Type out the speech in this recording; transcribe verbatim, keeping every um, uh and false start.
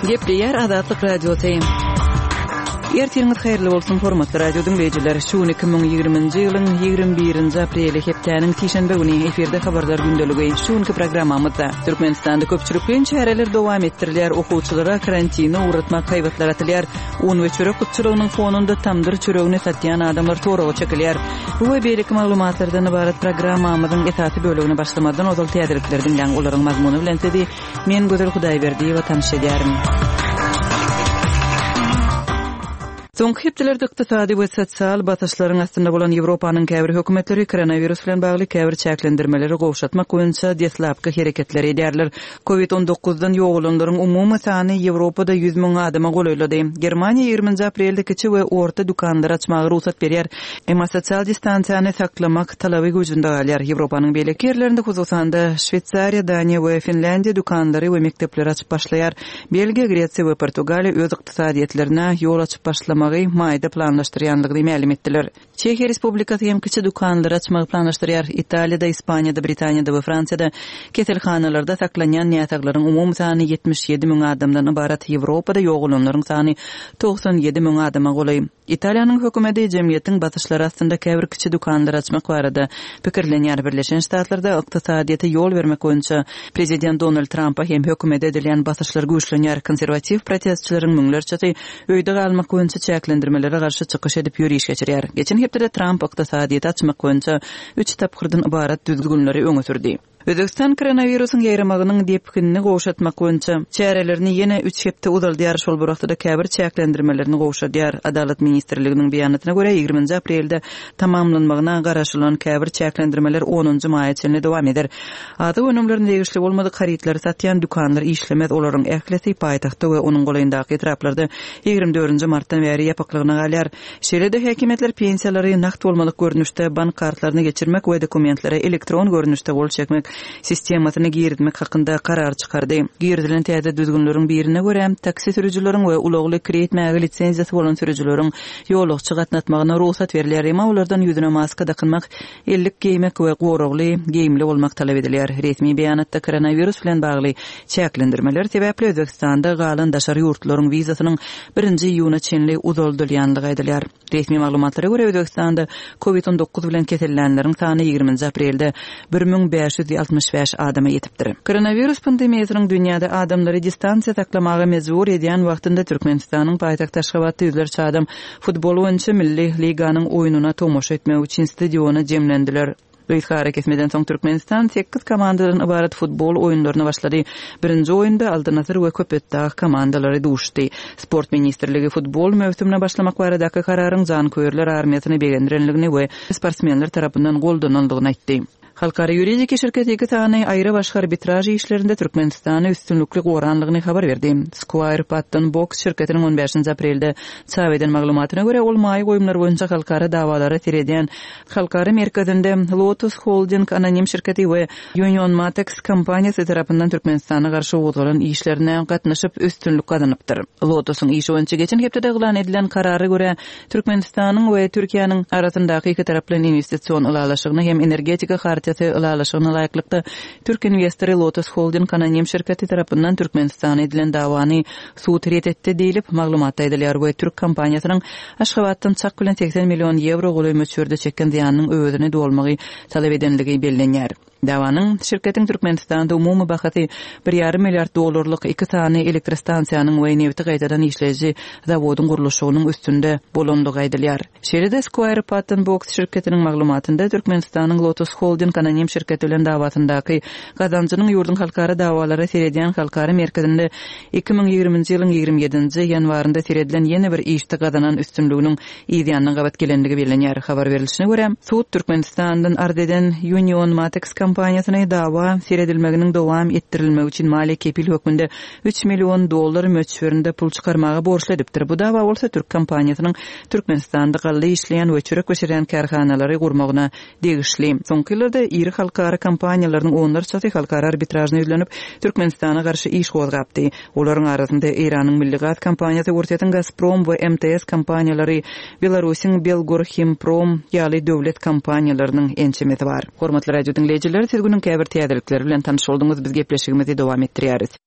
Gepleýär Azatlyk Radiosy. Ertiriňiz haýyrly bolsun, hormatly radio diňleýjiler. Şu gün iki müň ýigriminji ýylyň ýigrimi birinji apreli, hepdäniň sişenbe güni efirde habarlar gündeligi. Şu günki programmamyzda Türkmenistanda köpçülikleýin çäreler dowam etdirilýär, okuwçylara karantine ugratmak haýbatlar atylýar, un we çörek gytçylygynyň fonunda tamdyr çöregini satýan adamlar soraga çekilýär. Bu we beýleki maglumatlardan ybarat programmamyzyň esasy bölegine başlamazdan ozal täzelikleri diňläň, olaryň mazmuny bilen sizi men Gözel Hudaýberdiýewa tanyş edýärin. Soňky hepdelerde ykdysady we sosial basyşlaryň astynda bolan Ýewropanyň käbir hökümetleri koronawirus bilen bagly käbir çäklendirmeleri gowşatmak boýunça deslapky hereketleri edýärler. Covid on dokuzdan ýogalanlaryň umumy sany Ýewropada ýüz müň adama golaýlady. Germaniýa ýigriminji aprelde kiçi we orta dükanlary açmaga rugsat berýär. Emma sosial distansiýany saklamak talaby güýjünde galýar. Ýewropanyň beýleki ýerlerinde, hususan-da, Şweýsariýa, Daniýa we Finlýandiýa dükanlary we mekdepleri açyp başlaýar. Belgiýa, Gresiýa we Portugaliýa öz ykdysadyýetlerine ýol açyp başlamagy maýda planlaşdyrýanlygyny mälim etdiler. Çehiýa Respublikasy hem kiçi dükanlary açmagy planlaşdyrýar. Italiýada, Ispaniýada, Britaniýada we Fransiýada keselhanalarda saklanýan näsaglaryň umumy sany ýetmiş ýedi müň adamdan ybarat. Ýewropada ýogalanlaryň sany togsan ýedi müň adama golaý. Italiýanyň hökümeti jemgyýetiň basyşlary astynda käbir kiçi dükanlary açmak barada pikirlenýär. Birleşen Ştatlarda ykdysadyýete ýol bermek boýunça prezident Donald Trampa hem hökümete edilýän basyşlar güýçlenýär. Konserwatiw protestçileriň müňlerçesi öýde galmak boýunça çäklendirmelere garşy çykyş edip ýöriş geçirýär. Geçen hepdede Tramp ykdysadyýeti açmak boýunça üç tapgyrdan ybarat düzgünleri öňe sürdi. Özbegistan koronawirusyň ýaýramagynyň depginini gowşatmak boýunça çärelerini ýene üç hepde uzaldýar, şol bir wagtda käbir çäklendirmelerini gowşadýar. Adalat ministrliginiň beýanatyna görä, ýigriminji aprelde tamamlanmagyna garaşylan käbir çäklendirmeler onunjy maýa çenli dowam eder. Azyk önümlerine degişli bolmadyk harytlary satýan dükanlar işlemez, olaryň ählisi paýtagtda we onuň golaýyndaky etraplarda ýigrimi dördünji martdan bäri ýapyklygyna galýar. Şeýle-de häkimiýetler pensiýalary nagt bolmadyk görnüşde bank kartlaryna geçirmek we dokumentlere elektron görnüşde gol çekmek sistemasyny girizmek hakynda karar çykardy. Girizilen täze düzgünleriň birine görä, taksi sürüjileriň we ulagly kireý etmäge lisenziýasy bolan sürüjileriň ýolagçy gatnatmagyna rugsat berilýär, emma olardan ýüzüne maska dakynmak, ellik geýmek we goragly geýimli bolmak talap edilýär. Resmi beýanatda koronawirus bilen bagly çäklendirmeler sebäpli Özbegistanda galan daşary ýurtlaryň wizasynyň birinji iýuna çenli uzaldylýanlygy aýdylýar. Resmi maglumatlara görä, Özbegistanda covid on dokuz bilen kesellänleriň sany ýigriminji aprelde bir müň bäş ýüz altmyş bäş adama ýetipdir. Koronawirus pandemiýasynyň dünýäde adamlary distansiýa saklamaga mejbur edýän wagtynda Türkmenistanyň paýtagty Aşgabatda ýüzlerçe adam futbol boýunça milli liganyň oýnuna tomaşa etmek üçin stadiona jemlendiler. Gysga ara kesmeden soň Türkmenistan sekiz komandadan ybarat futbol oýunlaryna başlady. Birinji oýunda Altyn Asyr we Köpetdag komandalary duşdy. Sport ministrligi futbol möwsümine başlamak baradaky kararyň janköýerler armiýasyny begendirenligini we sportsmenler tarapyndan goldanandygyny aýtdy. Halkara ýuridik şirketi iki sany aýry başga arbitraj işlerinde Türkmenistany üstünlikli goranlygyny habar berdi. Squire Patton Boggs şirketiniň on bäşinji aprelde çap eden maglumatyna görä, ol maýa goýumlar boýunça halkara dawalara seredýän halkara merkezinde Lotus Holding anonim şirketi we Union Matex kompaniýasy tarapyndan Türkmenistana garşy gozgalan işlerine gatnaşyp üstünlik gazanypdyr. Lotusyň işi boýunça geçen hepdede yglan edilen karara görä, Türkmenistanyň we Türkiýäniň arasyndaky iki taraply investision ylalaşygyna hem energetika hartiýasy ylalaşygyna laýyklykda Türk investory Lotus Holding anonim şirketi tarapyndan Türkmenistana edilen dawany sud ret etdi diýlip maglumatda aýdylýar we Türk kompaniýasynyň Aşgabatdan çak bilen seksen million ýewro golaý möçberde çeken zyýanynyň öwezini dolmagy talap edenligi bellenýär. Dawanyň şirketiň Türkmenistanda umumy bahasy bir ýarym milliard dollarlyk iki sany elektrostansiýanyň we nebti gaýtadan işleýji zawodyň gurluşygynyň üstünde bolandygy aýdylýar. Şeýle-de Squire Patton Boggs şirketiniň maglumatynda Türkmenistanyň Lotus Holding anonim şirketi bilen dawasyndaky gazanjynyň ýurduň halkara dawalara seredýän halkara merkezinde iki müň ýigriminji ýylyň ýigrimi ýedinji ýanwarynda seredilen ýene bir işde gazanan üstünliginiň yzýanyna gabat gelenligi bellenýär. Habar berilişine görä, sud Türkmenistandan arz eden Union Matex kompaniýasyna dawa seredilmeginiň dowam etdirilmegi üçin maliýe kepil hökmünde üç million dollar möçberinde pul çykarmaga borçly edipdir. Bu dawa bolsa Türk kompaniýasynyň Türkmenistanda galla işleýän we çörek bişirýän kärhanalary gurmagyna degişli. Soňky ýyllarda iri halkara kompaniýalarynyň onlarçasy halkara arbitražyna ýüzlenip Türkmenistana garşy iş gozgapdy. Olaryň arasynda Eýranyň Milli Gaz kompaniýasy, Orsýetiň Gazprom we M T S kompaniýalary, Belarusyň Belgorhimprom ýaly döwlet kompaniýalarynyň ençemesi bar. Hormatly radio diňleýjiler, siz günüň käbir täzelikleri bilen tanyş bolduňyz. Biz gepleşigimizi dowam etdirýäris.